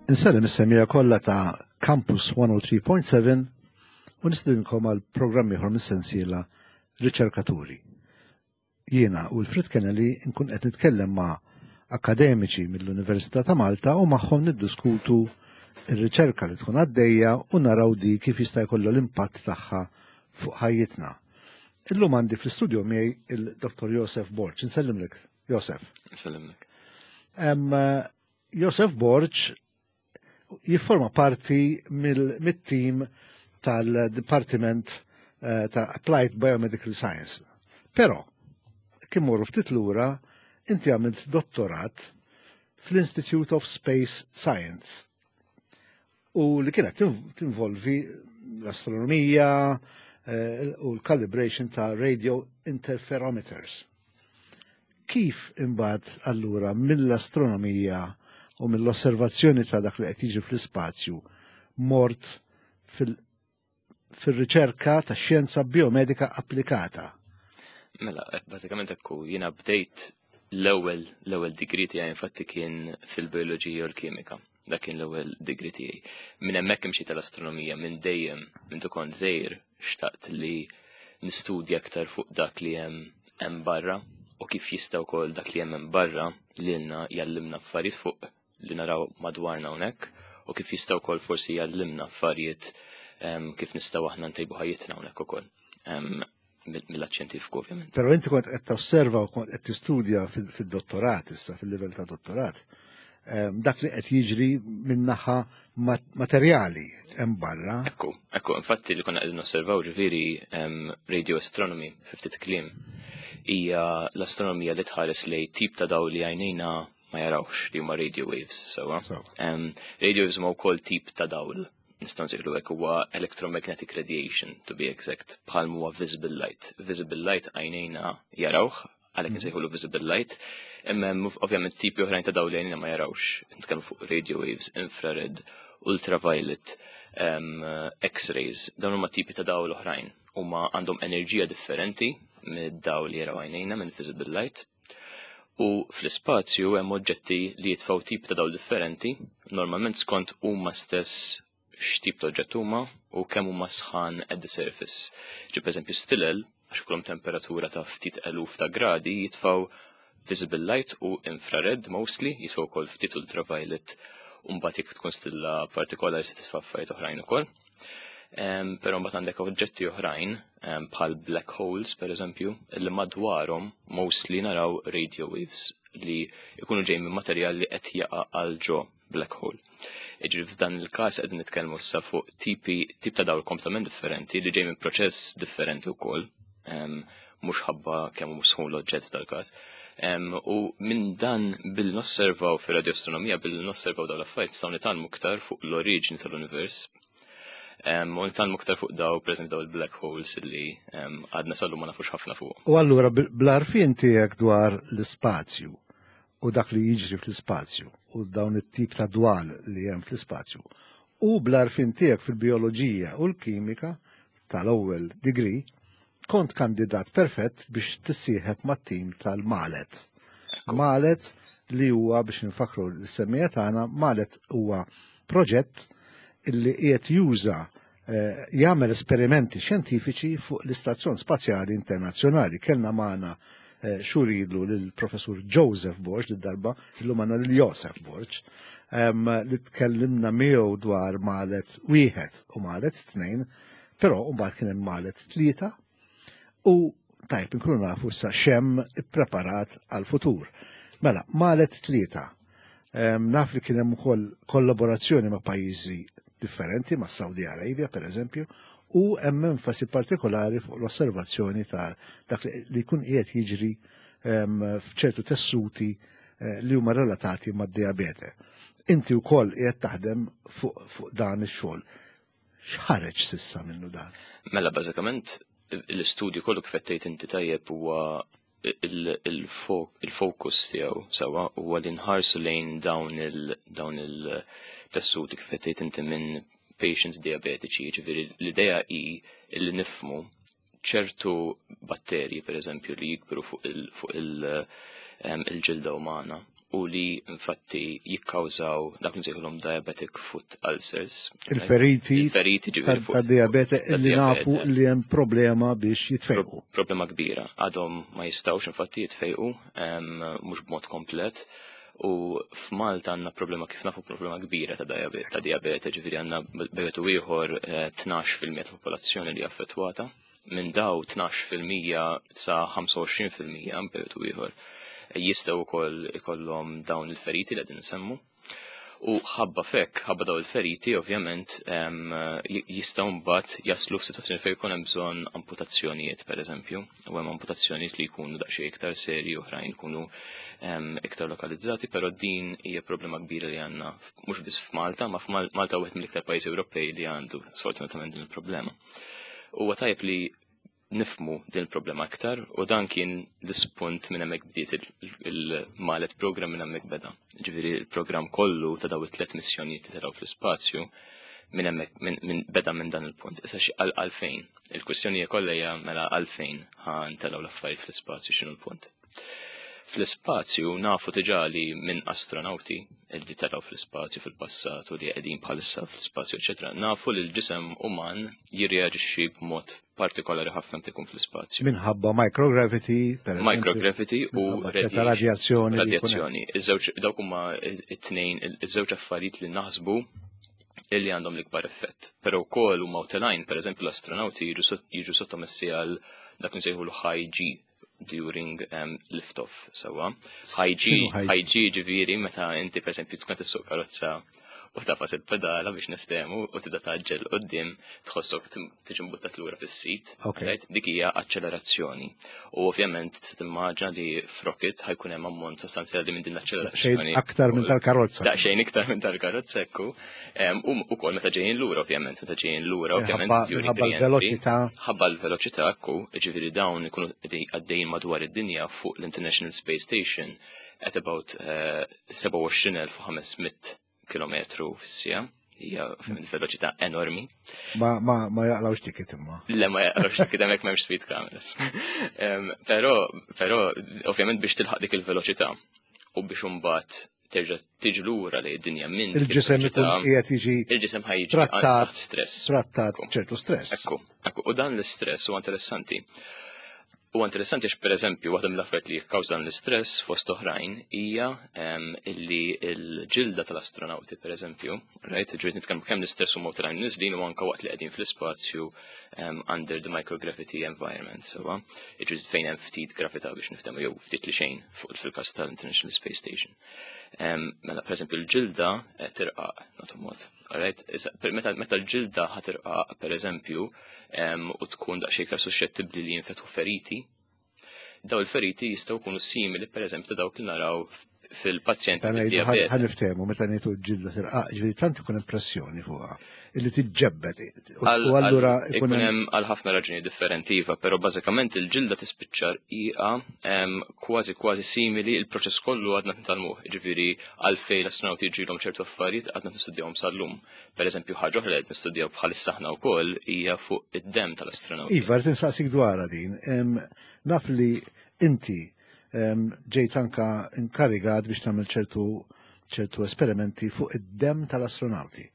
Insellem is-semija kollha ta' Campus 103.7 u nistedinkom għal programm ieħor mis-sensiela Riċerkaturi. Jiena u Wilfred Kennelly nkun qed nitkellem ma' akademiċi mill-Università ta' Malta u magħhom niddiskutu ir-riċerka li tkun għaddejja u naraw di kif jista' jkollha l-impatt tagħha fuq ħajjitna. Illum għandi fl-istudio miegħi il-Dr. Josef Borg. Insellimlek, Josef. Insellimlek. Josef Borg jifforma parti mit-tim tal-Dipartiment eh, ta' Applied Biomedical Science. Però, kien morru ftit lura, inti għamilt dottorat fl-Institute of Space Science u li kienet tinvolvi l-astronomija eh, u l-calibration ta' radio interferometers. Kif imbagħad allura mill-astronomija u mill-osservazzjoni ta' dak li qed jiġi fl-ispazju mort fil-riċerka ta' xjenza biomedika applikata? Mela, bażikament ekku jiena bdejt l-ewwel l-ewwel degree tiegħi infatti kien fil-bioloġija u l-kimika. Dak kien l-ewwel degree tiegħi. Minn hemmhekk imxi tal-astronomija minn dejjem minn kont żgħir xtaqt li nistudja aktar fuq dak li hemm hemm barra u kif jista' wkoll dak li hemm hemm barra lilna jallimna affarijiet fuq li naraw madwarna hawnhekk u kif jista' wkoll forsi jallimna affarijiet kif nistgħu aħna ntejbu ħajjitna hawnhekk ukoll mill-lat xjentifiku ovvjament. Però inti kont qed tosserva u kont qed tistudja fid-dottorat issa fil-livell ta' dottorat dak li qed jiġri min-naħa materjali hemm barra. Ekku, ekku, infatti li konna qegħdin nosservaw ġifieri radio astronomy fi ftit kliem hija l-astronomija li tħares lej tip ta' dawl li għajnejna ma jarawx li huma radio waves sewwa. Radio waves huma wkoll tip ta' dawl nistgħu nsejħlu hekk huwa electromagnetic radiation to be exact bħal huwa visible light. Visible light għajnejna jarawh għalhekk insejħulu visible light. Imma hemm ovvjament tipi oħrajn ta' dawl li għajnejna ma jarawx. Nitkellmu fuq radio waves, infrared, ultraviolet, X-rays, dawn huma tipi ta' dawl oħrajn. Huma għandhom enerġija differenti mid-dawl li jaraw għajnejna minn visible light. U fl-ispazju hemm oġġetti li jitfgħu tip ta' dawl differenti, normalment skont huma stess x'tip ta' oġġett huma u kemm huma sħan at the surface. Ġi pereżempju stilel, għax ikollhom temperatura ta' ftit eluf ta' gradi, jitfgħu visible light u infrared mostly, jitfgħu wkoll ftit ultraviolet u mbagħad jekk tkun stilla partikolari se titfa' affarijiet oħrajn ukoll. Però mbagħad għandek oġġetti oħrajn bħal black holes pereżempju, li madwarhom mostly naraw radio waves li jkunu ġej minn materjal li qed jaqa' għal ġo black hole. Iġri f'dan il-każ qegħdin nitkellmu issa fuq tipi tip ta' dawl kompletament differenti li ġej minn proċess differenti wkoll, mhux ħabba kemm hu sħun l-oġġett f'dal-każ. U minn dan billi nosservaw fir-radioastronomija billi nosservaw dawn l-affarijiet nistgħu nitgħallmu iktar fuq l-oriġini tal-univers. U nitgħallmu iktar fuq daw, pereżempju daw il-black holes li għadna sal-lum ma nafux ħafna fuq. U allura bl-għarfien tiegħek dwar l-ispazju u dak li jiġri fl-ispazju u dawn it-tip ta' dwal li hemm fl-ispazju u bl-għarfien tiegħek fil-bijoloġija u l-kimika tal-ewwel degree kont kandidat perfett biex tissieħeb mat-tim tal-Malet. Malet li huwa biex nfakru l-semmija tagħna, Malet huwa proġett illi qiegħed juża eh, jagħmel esperimenti xjentifiċi fuq l-Istazzjon Spazjali Internazzjonali. Kellna magħna eh, xhur ilu lill-Professur Joseph Borg, darba illum għandna lil Joseph Borg, li tkellimna miegħu dwar Malet wieħed u Malet tnejn, però mbagħad kien hemm Malet tlieta u tajb inkunu nafu issa xemm ippreparat għal-futur. Mela, Malet tlieta. Naf li kien hemm ukoll kollaborazzjoni ma' pajjiżi differenti, ma' Saudi Arabia per eżempju, u hemm enfasi partikolari fuq l-osservazzjoni ta' dak li jkun qiegħed jiġri f'ċertu tessuti eh, li huma relatati mad-diabete. Inti wkoll qiegħed taħdem fuq fu dan ix-xogħol. X'ħareġ sissa minnu dan? Mela bażikament l-istudju kollu kif qed inti tajjeb huwa il-fokus tiegħu sewwa huwa li nħarsu lejn dawn il dawn il-tessuti kif qed inti minn patients diabetiċi, jiġifieri l-idea hi li nifmu ċertu batterji pereżempju li jikbru fuq il-ġilda umana. u li infatti jikkawżaw dak li nsejħulhom diabetic foot ulcers. Il-feriti il-feriti ġifieri ta' diabete li nafu li hemm problema biex jitfejqu. Problema kbira. Għadhom ma jistgħux infatti jitfejqu mhux b'mod komplet. U f'Malta għandna problema kif nafu problema kbira ta' diabete, ġifieri għandna bejt u ieħor 12% eh, ta' popolazzjoni li affettwata. Minn daw 12% sa 25% bejt u ieħor jistgħu wkoll ikollhom dawn il-feriti li qegħdin nsemmu. U ħabba fek, ħabba daw il-feriti, ovvjament, jistgħu mbagħad jaslu f'sitwazzjoni fejn jkun hemm bżonn amputazzjonijiet, pereżempju, u hemm amputazzjonijiet li jkunu daqsxejn iktar serji, oħrajn jkunu iktar lokalizzati, però din hija problema kbira li għandna mhux biss f'Malta, ma f'Malta wieħed mill-iktar pajjiżi Ewropej li għandu sfortunatament din il-problema. Huwa tajjeb li nifmu din il-problema aktar u dan kien l-ispunt minn hemmhekk bdiet il-Malet program minn hemmhekk beda. Ġifieri il-programm kollu ta' daw it-tliet missjonijiet li telgħu fl-ispazju minn hemmhekk minn beda minn dan il-punt. Issa xi għalfejn. Il-kwistjoni hija kollha hija mela għalfejn ħa ntelgħu l-affarijiet fl-ispazju x'inhu l-punt. Fl-ispazju nafu diġà li minn astronawti li telgħu fl-ispazju fil-passat u li qegħdin bħalissa fl-ispazju, eċetera, nafu li l-ġisem uman jirreaġixxi b'mod partikolari ħafna meta jkun fl-ispazju. Minħabba microgravity, per Microgravity u radjazzjoni. Radjazzjoni. Iż-żewġ dawk huma it-tnejn iż-żewġ affarijiet li naħsbu illi għandhom l-ikbar effett. Però wkoll huma telgħin, pereżempju l-astronawti jiġu sottomessi għal dak li nsejħu l-high G during lift-off, sewa. High G, high G ġifieri meta inti per esempio tkun tissuq karozza u tafas il-pedala biex niftehmu u tibda taġġel qudiem tħossok tiġi mbuttat lura fis-sit. Okay. Dik hija aċċelerazzjoni. U ovvjament se timmaġina li f'rocket ħajkun hemm ammont sostanzjali minn din l-aċċelerazzjoni. Aktar minn tal-karozza. Daqsxejn iktar minn tal-karozza ekku. U wkoll meta ġejjin lura ovvjament, meta ġejjin lura ovvjament. Ħabba l-veloċità. Ħabba l-veloċità ekku, ġifieri dawn ikunu għaddejjin madwar id-dinja fuq l-International Space Station at about 27,500 eh, km fis-sija hija veloċità enormi. Ma, ma, ma jaqlawx ticket imma. Le ma jaqlawx ticket hemmhekk m'hemmx speed cameras. Però, però ovvjament biex tilħaq dik il-veloċità u biex imbagħad terġa' tiġi lura li d-dinja minn il-ġisem ikun qiegħed jiġi il-ġisem ħaj jiġi trattat stress. Trattat ċertu stress. Ekku, ekku, u dan l-istress huwa interessanti. Huwa interessanti għax pereżempju waħda mill-affarijiet li jikkawża dan l-istress fost oħrajn hija illi l-ġilda tal-astronawti pereżempju, right, ġiet nitkellmu kemm l-istress huma telgħin niżlin u anke waqt li qegħdin fl-ispazju under the microgravity environment, sewa, ġiet fejn hemm ftit gravità biex niftehmu jew ftit li xejn fuq fil-każ tal-International Space Station. Mela, per eżempju, l-ġilda eh, tirqaq, nagħtu mod. Alright? Meta l-ġilda ħatirqaq, per eżempju, u tkun daqsxejn iktar suscettibbli li jinfetħu feriti, daw il-feriti jistgħu jkunu simili, per eżempju, ta' dawk li naraw fil-pazjenti bid-diabete. Ħa niftehmu meta ngħidu ġilda tirqaq, ġifieri tant ikun impressjoni fuqha illi tiġġebbed. U allura ikun hemm għal ħafna raġuni differenti iva, però bażikament il-ġilda tispiċċa rqiqa kważi kważi simili il-proċess kollu għadna nitgħallmuh, jiġifieri għalfejn l-astronawti jiġrilhom ċertu affarijiet għadna nistudjawhom sal-lum. Pereżempju ħaġa oħra li qed nistudjaw bħalissa aħna wkoll hija fuq id-demm tal-astronawti. Iva, rrid insaqsik dwarha din. Naf li inti ġejt anka inkarigat biex tagħmel ċertu ċertu esperimenti fuq id-demm tal-astronawti.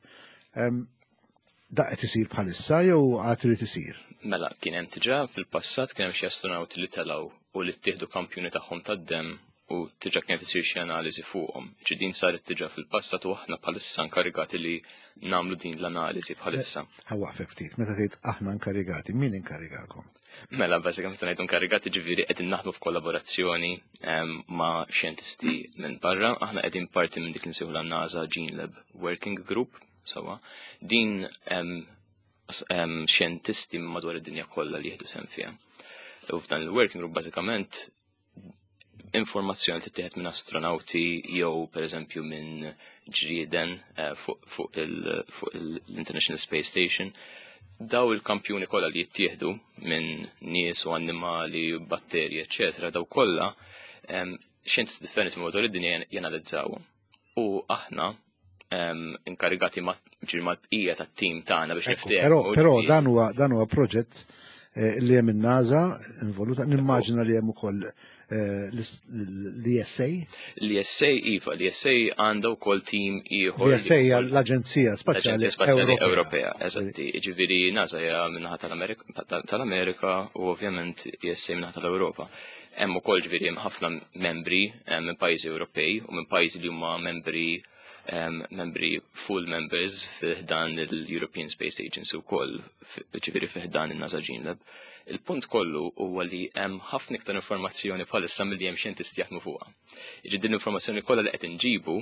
Da qed isir bħalissa jew għad irid isir? Mela, kien hemm diġà fil-passat kien hemm xi astronawti li telgħu u li ttieħdu kampjuni tagħhom tad-demm u diġà kienet isir xi analiżi fuqhom. Ġi din saret diġà fil-passat u aħna bħalissa inkarigati li nagħmlu din l-analiżi bħalissa. Ħa waqfek ftit, meta tgħid aħna inkarigati, min inkarigakom? Mela, bażikament meta ngħidu inkarigati ġifieri qegħdin naħdmu f'kollaborazzjoni ma' xjentisti minn barra. Aħna qegħdin parti minn dik li nsejħu NASA Gene Lab Working Group, sewwa. Din xjentisti madwar id-dinja kollha li jieħdu sehem fiha. U f'dan il-working group bażikament informazzjoni li tittieħed minn astronawti jew pereżempju minn ġrieden eh, fuq l-International Space Station. Daw il-kampjuni kollha li jittieħdu minn nies u annimali, batterji, eċetera, daw kollha xjenzi differenti minn madwar id-dinja janalizzawhom. U aħna inkarigati mal-bqija tat-tim tagħna biex niftehmu. Però dan huwa dan huwa proġett Li hemm in-NASA involuta, nimmaġina li hemm ukoll l-ESA. L-ESA, iva, l-ESA għandha wkoll tim ieħor. L-ESA hija l-Aġenzija Spazjali Ewropea. Eżatti, ġifieri NASA hija minnaħa tal-Amerika u ovvjament ESA minnaħa tal-Ewropa. Hemm ukoll ġifieri hemm ħafna membri minn pajjiżi Ewropej u minn pajjiżi li huma membri membri full members fiħdan il-European Space Agency wkoll, ġifieri fiħdan in-NASA Gene Lab. Il-punt kollu huwa li hemm ħafna iktar informazzjoni bħalissa milli hemm xjentisti jaħdmu fuqha. Jiġi din l-informazzjoni kollha li qed inġibu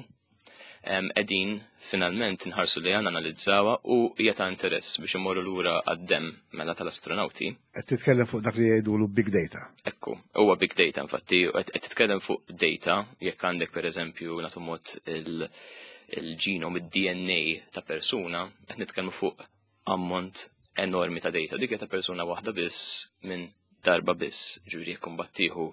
qegħdin finalment nħarsu li għandna analizzawha u hija ta' interess biex imorru lura għad-demm mela tal-astronauti. Qed titkellem fuq dak li jgħidulu big data. Ekku, huwa big data infatti, qed titkellem fuq data jekk għandek pereżempju nagħtu mod il-ġenom, id-DNA ta' persuna, qed nitkellmu fuq ammont enormi ta' data. Dik ta' persuna waħda biss minn darba biss, ġifieri jekk imbagħad tieħu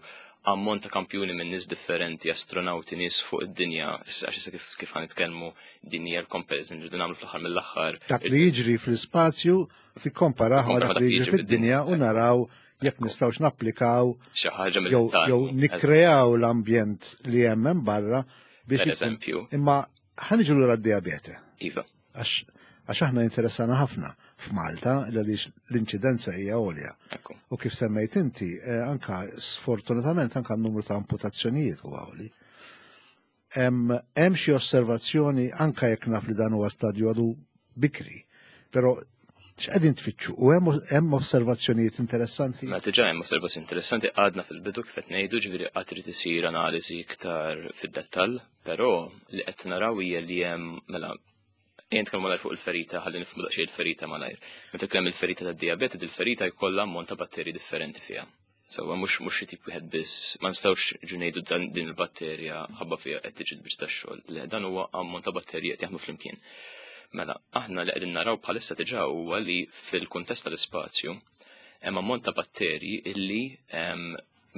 ammont ta' kampjuni minn nies differenti, astronauti, nies fuq id-dinja, għax issa kif ħa nitkellmu din hija l-comparison li rridu nagħmlu fl-aħħar mill-aħħar. Dak li jiġri fl-ispazju tikkomparah ma' dak li jiġri fid-dinja u naraw jekk nistgħux napplikaw xi ħaġa jew nikkreaw l-ambjent li hemm hemm barra biex eżempju. Imma ħa niġu lura d-diabete. Iva. Għax aħna interessana ħafna f'Malta għaliex l-inċidenza hija għolja. U kif semmejt inti, anka sfortunatament anka n-numru ta' amputazzjonijiet huwa għoli. Hemm xi osservazzjoni anka jekk naf li dan huwa stadju għadu bikri, però x'qegħdin tfittxu? U hemm osservazzjonijiet interessanti? Ma diġà hemm osservazzjoni interessanti, għadna fil-bidu kif qed ngħidu, ġifieri qatt irid isir analiżi iktar fid-dettall, però li qed naraw hija li hemm mela Ejja nitkellmu malajr fuq il-ferita, ħalli nifhmu daqsxejn il-ferita malajr. Meta tkellem il-ferita tad-dijabete, il-ferita jkollha ammont ta' batterji differenti fiha. Sewwa mhux mhux xi tip wieħed biss, ma nistgħux ġu ngħidu dan din il-batterja ħabba fiha qed tiġi l-biċċa tax-xogħol. Le, dan huwa ammont ta' batterji qed jaħdmu flimkien. Mela, aħna li qegħdin naraw bħalissa diġà huwa li fil-kuntest tal-ispazju hemm ammont ta' batterji illi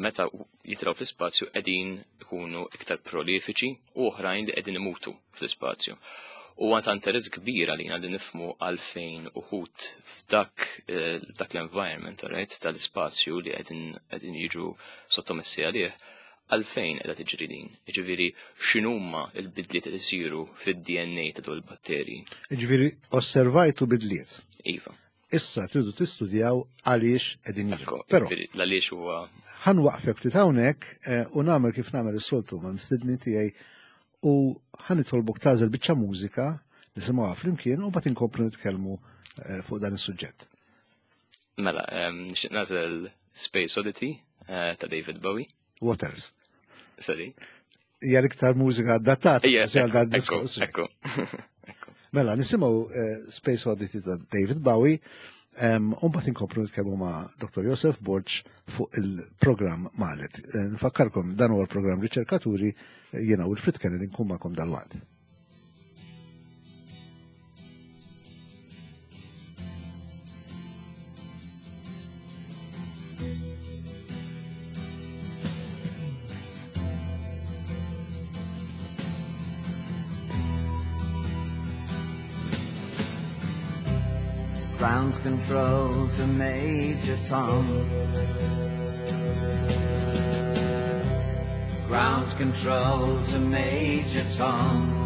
meta jitilgħu fl-ispazju qegħdin ikunu iktar prolifiċi u oħrajn li qegħdin imutu fl-ispazju. U ta' interess kbir għalina li nifmu għalfejn uħud f'dak eh, dak l-environment, right, tal-ispazju li qegħdin jiġu sottomessi għalih, għalfejn qiegħda tiġri din. Jiġifieri x'inhuma l-bidliet qed isiru fid-DNA ta' dawn il-batterji. Jiġifieri osservajtu bidliet. Iva. Issa tridu tistudjaw għaliex qegħdin jiġru. Però l-għaliex huwa ħa nwaqfek ftit hawnhekk eh, u nagħmel kif nagħmel is-soltu ma' mistedni tiegħi u ħa nitolbok tagħżel biċċa mużika nisimgħuha flimkien u mbagħad inkomplu nitkellmu eh, fuq dan is-suġġett. Mela, nixtieq nagħżel Space Oddity eh, ta' David Bowie. What else? Sorry. Hija l-iktar mużika adattata għal dan diskors. Ekku, Mela, nisimgħu eh, Space Oddity ta' David Bowie, u mbagħad inkomplu nitkellmu ma' Dr. Josef Borg fuq il-programm Malet. Eh, nfakkarkom dan huwa l-programm Riċerkaturi eh, jiena u l-Frit Kennedy nkun magħkom dal-waqt. Ground control to Major Tom. Ground control to Major Tom.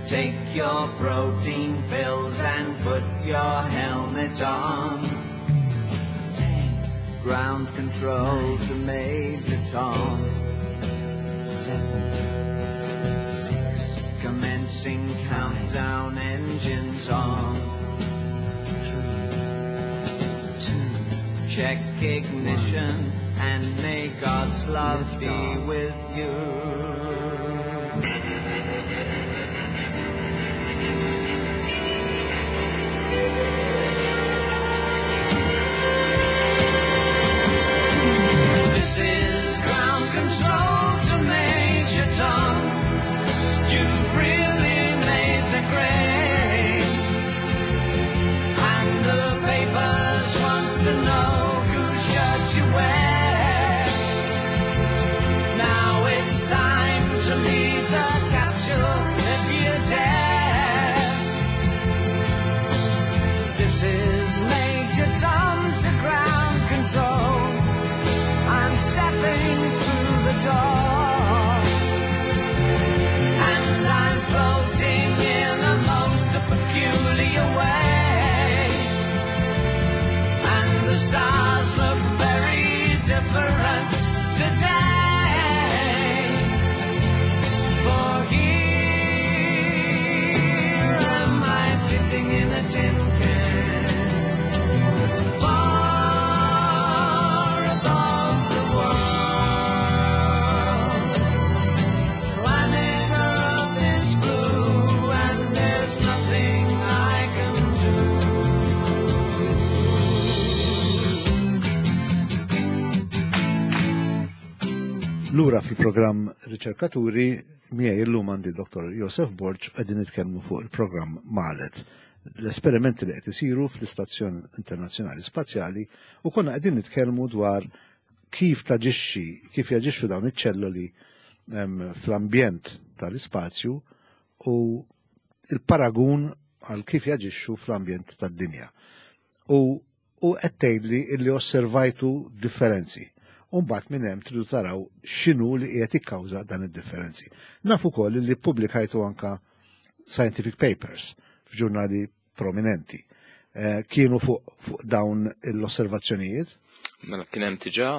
Take your protein pills and put your helmet on. 10, Ground control to Major Tom. 8, 7, 6, Commencing countdown, engines on. 3, 2, Check ignition 1, and may God's love be off. with you. This is ground control to Major Tom. You've really made the grade. And the papers want to know whose shirt you wear. Now it's time to so I'm stepping through the door. And I'm floating in a most peculiar way. And the stars look very different today. For here am I sitting in a tin can. Far above the world. Planet Earth is blue and there's nothing I can do. Lura fil-programm Riċerkaturi, miegħi illum għandi Dr. Josef Borg qegħdin nitkellmu fuq il-programm Malet. L-esperimenti li qed isiru fl-Istazzjon Internazzjonali Spazjali u konna qegħdin nitkellmu dwar kif taġixxi, kif jaġixxu dawn iċ-ċelloli fl-ambjent tal-ispazju u il-paragun għal kif jaġixxu fl-ambjent tad-dinja. U u qed tgħidli illi osservajtu differenzi. U mbagħad minn hemm tridu taraw x'inhu li qiegħed jikkawża dan id-differenzi. Naf ukoll li ppubblikajtu anka scientific papers f'ġurnali prominenti. Kienu fuq dawn l-osservazzjonijiet? Mela kien hemm diġà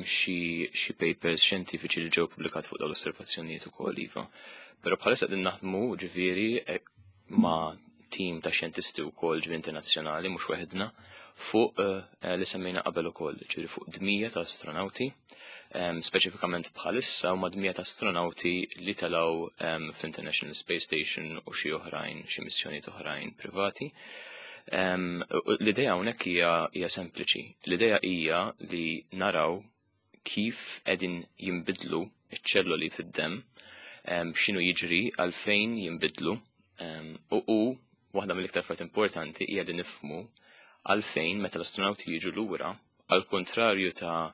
xi papers xjentifiċi li ġew pubblikati fuq dawn l-osservazzjonijiet ukoll iva. Però bħalissa qegħdin naħdmu ġifieri ma' tim ta' xjentisti wkoll ġifieri internazzjonali mhux weħidna fuq li semmejna qabel ukoll, ġifieri fuq dmija ta' astronauti, speċifikament bħalissa huma dmija ta' astronauti li telgħu fl-International Space Station u xi oħrajn, xi missjonijiet oħrajn privati. L-idea hawnhekk hija sempliċi. L-idea hija li naraw kif qegħdin jinbidlu ċ-ċelloli fid-demm, x'inhu jiġri, għalfejn jinbidlu, u waħda mill-iktar affarijiet importanti hija li nifhmu għalfejn meta l-astronauti jiġu lura, għal kontrarju ta'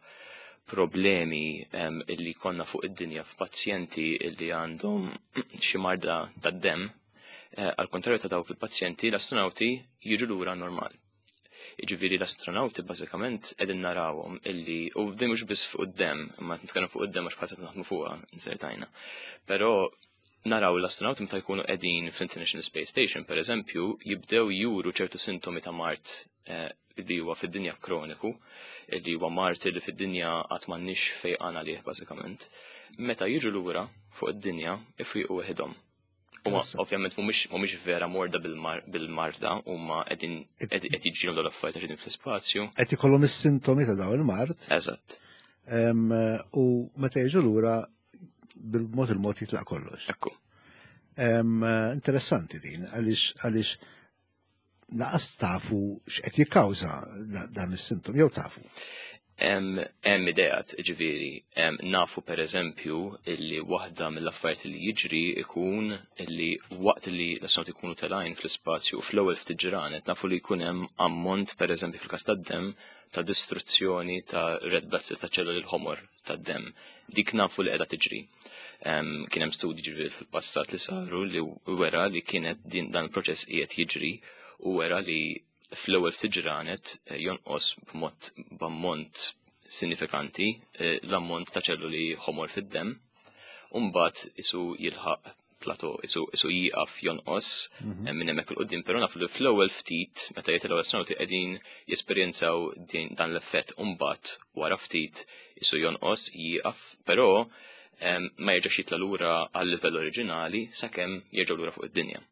problemi illi konna fuq id-dinja f'pazjenti illi għandhom xi marda tad-demm, għal kontrarju ta' dawk il-pazjenti, l-astronauti jiġu lura normal. Jiġifieri l-astronauti bażikament qegħdin narawhom illi, u din mhux biss fuq id-demm, imma nitkellem fuq id-demm għax bħalissa naħdmu fuqha insertajna. Però naraw l-astronauti meta jkunu qegħdin fl-International Space Station, per eżempju, jibdew juru ċertu sintomi ta' mard li huwa fid-dinja kroniku, li huwa mard li fid-dinja qatt m'għandniex fejqan għalih bażikament. Meta jiġu lura fuq id-dinja ifriqu weħidhom. Huma ovvjament mhumiex vera morda bil-marda, huma qegħdin qed jiġrilhom dawn l-affarijiet qegħdin fl-ispazju. Qed ikollhom is-sintomi ta' dawn il-mard. Eżatt. U meta jiġu lura bil-mod il-mod jitlaq kollox. Ekku. Interessanti din, għaliex naqas tafu x'qed jikkawża dan is-sintom, jew tafu? Hemm ideat, ġifieri, nafu per eżempju illi waħda mill-affarijiet li jiġri ikun illi waqt li l-astronauti jkunu telgħin fl-ispazju fl-ewwel ftit ġranet nafu li jkun hemm ammont per eżempju fil-każ tad-demm ta' distruzzjoni ta' red blood cells ta' ċelluli l-ħomor tad-demm. Dik nafu li qiegħda tiġri. Kien hemm studji ġifieri fil-passat li saru li wera li kienet din dan il-proċess qiegħed jiġri u wera li fl-ewwel ftit ġranet jonqos b'mod b'ammont sinifikanti l-ammont ta' ċelluli ħomor fid-demm, u mbagħad isu jilħaq plateau, isu jieqaf jonqos minn hemmhekk il quddiem, però nafu li fl-ewwel ftit meta jitilgħu l-astronauti qegħdin jesperjenzaw dan l-effett u mbagħad wara ftit isu jonqos jieqaf, però ma jerġax jitla' lura għal-livell oriġinali sakemm jerġgħu lura fuq id-dinja.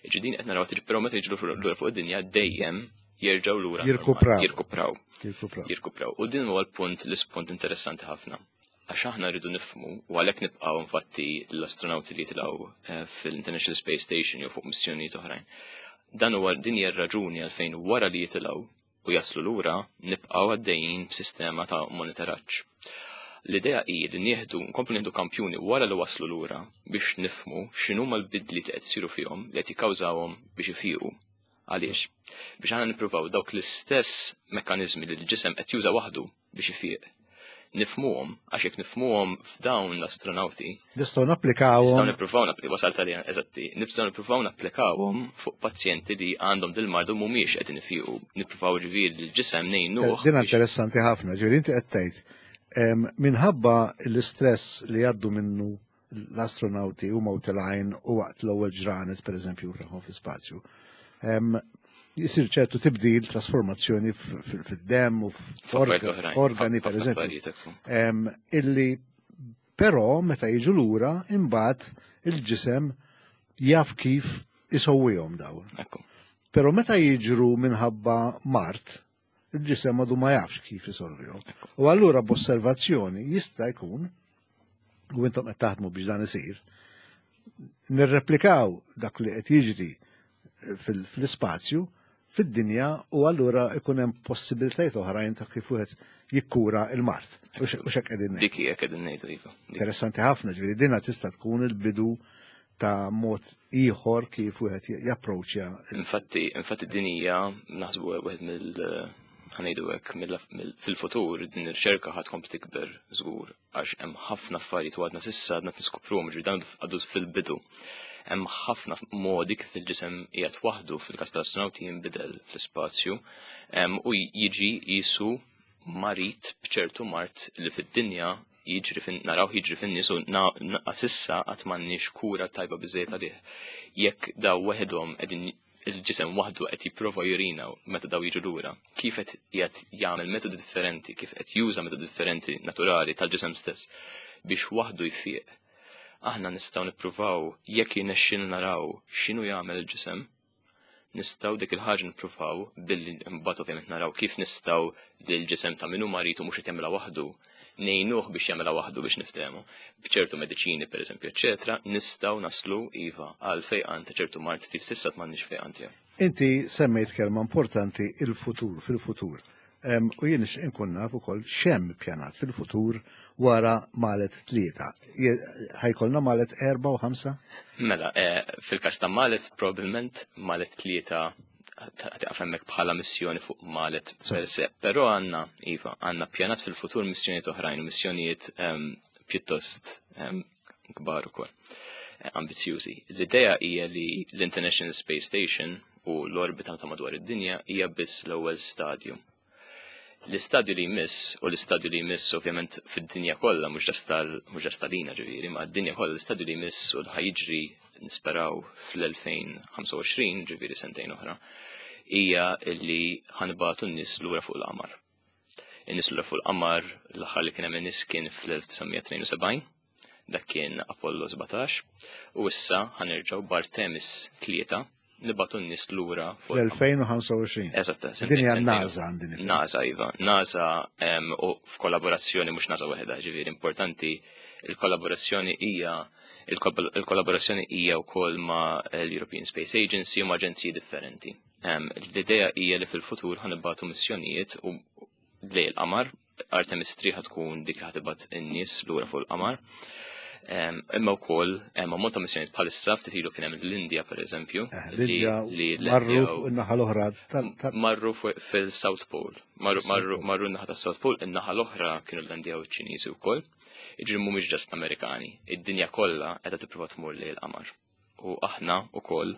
Ġi din qed naraw tiġi, però meta jiġu lura fuq id-dinja dejjem jerġgħu lura normali. Jirkupraw. Jirkupraw. Jirkupraw. Jirkupraw. U din huwa l-punt, l-ispunt interessanti ħafna. Għax aħna rridu nifhmu, u għalhekk nibqgħu infatti l-astronauti li jitilgħu fil-International Space Station jew fuq missjonijiet oħrajn. Dan huwa din hija r-raġuni għalfejn wara li jitilgħu u jaslu lura nibqgħu għaddejjin b'sistema ta' monitoraġġ. L-idea hi li nkomplu nieħdu kampjuni wara li waslu lura biex nifhmu x'inhuma l-bidliet li qed isiru fihom li qed jikkawżawhom biex ifiqu. Għaliex? Biex aħna nippruvaw dawk l-istess mekkaniżmi li l-ġisem qed juża waħdu biex ifiq. Nifhmuhom, għax jekk nifhmuhom f'dawn l-astronauti. Nistgħu napplikawhom. Nistgħu nippruvaw napplikaw, wasalt għalija eżatti, nistgħu nippruvaw napplikawhom fuq pazjenti li għandhom dil-mardu mhumiex qed infiqu, nippruvaw ġifieri l-ġisem ngħinuh. Din interessanti ħafna, ġifieri inti qed tgħid minħabba l-istress li jgħaddu minnu l-astronauti huma u telgħin u waqt l-ewwel ġranet pereżempju tagħhom fl-ispazju. Jisir ċertu tibdil, trasformazzjoni fid-demm u f'organi pereżempju. Illi però meta jiġu lura imbagħad il-ġisem jaf kif isowwihom dawn. Però meta jiġru minħabba mart, il-ġisem għadu ma jafx kif isolvihom. U allura b'osservazzjoni jista' jkun, u intom qed taħdmu biex dan isir, nirreplikaw dak li qed jiġri fl-ispazju fid-dinja u allura ikun hemm possibilitajiet oħrajn ta' kif wieħed jikkura il-mart. U x'hekk qegħdin ngħidu. Dik hija qegħdin ngħidu iva. Interessanti ħafna, ġifieri dinha tista' tkun il-bidu ta' mod ieħor kif wieħed japproċċja. Infatti, infatti din hija naħsbu wieħed mill ħanejdu hekk fil-futur din ir-riċerka ħad tkompli tikber żgur għax hemm ħafna affarijiet u għadna s'issa għadna niskopruhom ġifieri dan għadu fil-bidu. Hemm ħafna modi kif il-ġisem qiegħed waħdu fil-każ tal-astronawti jinbidel fl-ispazju u jiġi jisu marid b'ċertu mart li fid-dinja jiġri fin naraw jiġri fin-nies u s'issa qatt m'għandniex kura tajba biżejjed għalih. Jekk daw weħedhom qegħdin il-ġisem waħdu qed jipprova jurina meta daw jiġu lura, kif qed qiegħed jagħmel metodi differenti, kif qed juża metodi differenti naturali tal-ġisem stess biex waħdu jfieq. Aħna nistgħu nippruvaw jekk jirnexxilna naraw x'inhu jagħmel il-ġisem, nistgħu dik il-ħaġa nippruvaw billi mbagħad ovvjament naraw kif nistgħu lil ġisem ta' min hu marid u mhux qed jagħmilha waħdu ngħinuh biex jagħmilha waħdu biex niftehmu. B'ċertu mediċini pereżempju, eċetera, nistgħu naslu iva għal fejqan ta' ċertu mart li s'issa m'għandniex fejqan tiegħu. Inti semmejt kelma importanti il-futur, fil-futur. U jien nixtieq inkun naf ukoll x'hemm ippjanat fil-futur wara Malet 3. Ħa jkollna Malet 4 u 5? Mela, fil-każ ta' Malet probabbilment Malet 3 taqaf hemmhekk bħala missjoni fuq Malet per se. Però għandna, iva, għandna pjanat fil-futur missjonijiet oħrajn, missjonijiet pjuttost kbar ukoll, ambizjużi. L-idea hija li l-International Space Station u l-orbita ta' madwar id-dinja hija biss l-ewwel stadju. L-istadju li jmiss, u l-istadju li jmiss ovvjament fid-dinja kollha, mhux just tal-ina ġifieri, ma d-dinja kollha l-istadju li jmiss u li jiġri nisperaw fl-2025, ġifieri sentejn oħra, hija li ħa nibagħtu n-nies lura fuq l-qamar. In-nies lura fuq l-qamar l-aħħar li kien hemm in-nies kien fl-1972, dak kien Apollo 17, u issa ħa nerġgħu b'Artemis 3 nibagħtu n-nies lura fuq L-2025. Eżatt, Din hija NASA għandin. NASA, iva. NASA u f'kollaborazzjoni mhux NASA waħedha, ġifieri importanti il-kollaborazzjoni hija wkoll ma' l-European Space Agency u ma' aġenziji differenti. L-idea hija li fil-futur ħa nibagħtu missjonijiet u lejn il-qamar, Artemis 3 tkun dik ħa tibgħat in-nies lura fuq il-qamar. Imma wkoll hemm ammont ta' missjonijiet bħalissa ftit ilu kien hemm l-Indja pereżempju. L-Indja marru fuq in-naħa l-oħra Marru fil-South Pole. Marru n-naħa tas-South Pole, in-naħa l-oħra kienu l-Indja u ċ-Ċiniżi wkoll. Jiġri mhumiex just Amerikani. Id-dinja kollha qiegħda tipprova tmur lejn il-qamar. U aħna wkoll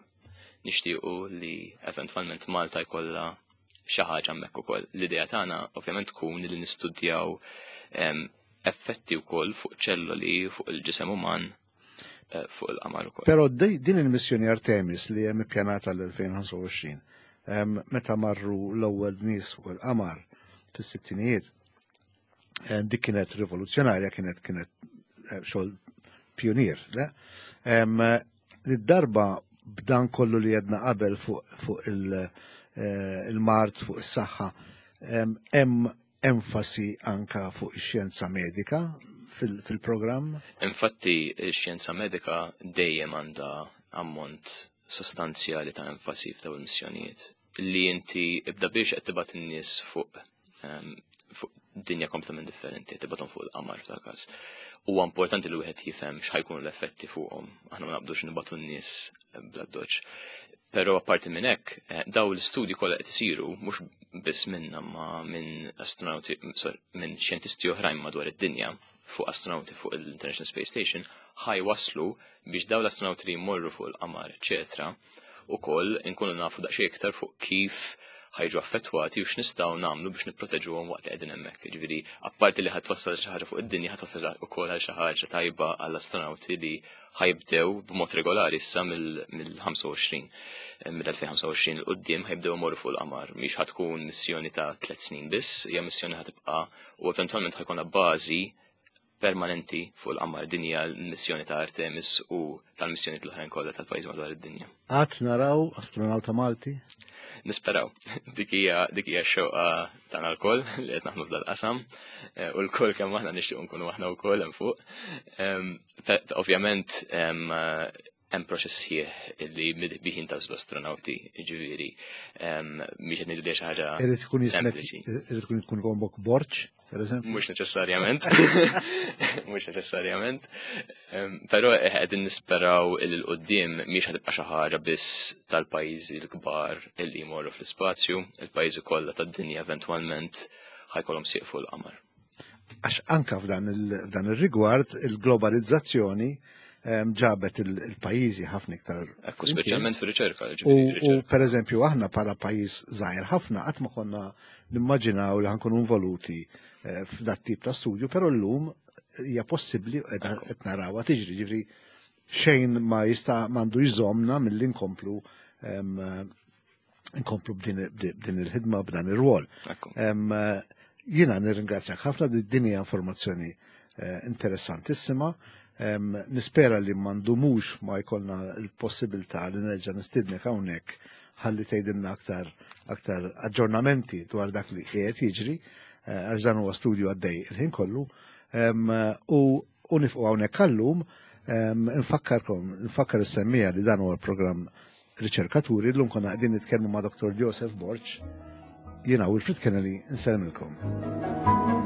nixtiequ li eventwalment Malta jkollha xi ħaġa hemmhekk ukoll. L-idea tagħna ovvjament tkun li nistudjaw effetti wkoll fuq ċelloli, fuq il-ġisem uman, fuq il-qamar ukoll. Però din il-missjoni Artemis li hemm ippjanata l-2025, meta marru l-ewwel nies fuq il-qamar fis-sittinijiet, dik kienet rivoluzzjonarja, kienet xogħol pionier, le? Id-darba b'dan kollu li jedna qabel fuq il-mart, fuq is-saħħa, hemm enfasi anka fuq ix-xjenza medika fil-programm? Infatti, ix-xjenza medika dejjem għandha ammont sostanzjali ta' enfasi f'dawn il-missjonijiet. Li inti ibda biex qed tibgħat in-nies fuq dinja kompletament differenti, tibgħathom fuq il-qamar f'dal każ. Huwa importanti li wieħed jifhem x'ħajkunu l-effetti fuqhom. Aħna ma naqbdux nibatu n-nies bla doċ. Però apparti minn hekk, eh, daw l-istudji kollha qed isiru mhux biss minna ma minn astronauti, minn xjentisti oħrajn madwar id-dinja fuq astronauti fuq l-International Space Station ħaj waslu biex daw l-astronauti li jmorru fuq il-qamar, eċetera, ukoll inkunu nafu daqsxejn iktar fuq kif ħajġu affettwati u x'nistgħu nagħmlu biex nipproteġuhom waqt li qegħdin hemmhekk. Jiġifieri, apparti li ħadd twassal xi ħaġa fuq id-dinja, ħadd twassal ukoll għal xi ħaġa tajba għall-astronauti li ħajbdew b'mod regolari issa mill-25 eh, mill-2025 il qudiem ħajbdew imorru fuq il-qamar. Mhix ħatkun missjoni ta' tliet snin biss, hija missjoni ħatibqa' u eventwalment ħajkun bażi permanenti fuq il-qamar din hija l-missjoni ta' Artemis u tal-missjoni l-oħrajn kollha tal-pajjiż madwar id-dinja. Qatt naraw astronauta Malti? Nisperaw. Dik hija dik hija x-xewqa tagħna lkoll li qed naħdmu f'dal-qasam eh, u lkoll kemm aħna nixtiequ nkunu aħna wkoll hemm fuq. Ehm, ovvjament ehm, hemm proċess sħiħ li bih jintażlu astronauti, ġifieri, mhix qed ngħidu li xi ħaġa. Irid ikun jismek, irid ikun tkun gombok borċ, per eżempju. Mhux neċessarjament. Mhux neċessarjament. Però qegħdin nisperaw il qudiem mhix ħad tibqa' xi ħaġa biss tal-pajjiżi l-kbar illi jmorru fl-ispazju, il-pajjiżi kollha tad-dinja eventwalment ħajkollhom sieq fuq il-qamar. Għax anka f'dan ir-rigward il-globalizzazzjoni ehm, ġabet il-pajjiżi ħafna iktar. Ekku, speċjalment fir-riċerka. U per eżempju aħna bħala pajjiż żgħir ħafna qatt ma konna nimmaġinaw li ħankunu involuti eh, f'dat tip ta' studju, però llum hija possibbli qed narawha tiġri, ġifri xejn ma jista' m'għandu jżomna milli nkomplu ehm, nkomplu b'din il-ħidma b'dan ir-rwol. Jiena nirringrazzjak ħafna din hija informazzjoni eh, interessantissima. Nispera li mandumux ma jkollna l-possibilità li nerġa' nistidnek hawnhekk ħalli tgħidilna aktar aktar aġġornamenti dwar dak li qiegħed jiġri eh, għax dan huwa studju għaddej il-ħin kollu. U u nifqu hawnhekk għallum nfakkarkom, nfakkar is-semmija li dan huwa l-programm Riċerkaturi, llum konna qegħdin nitkellmu ma' Dr. Joseph Borg, jiena Wilfred Kennedy, nsellmilkom.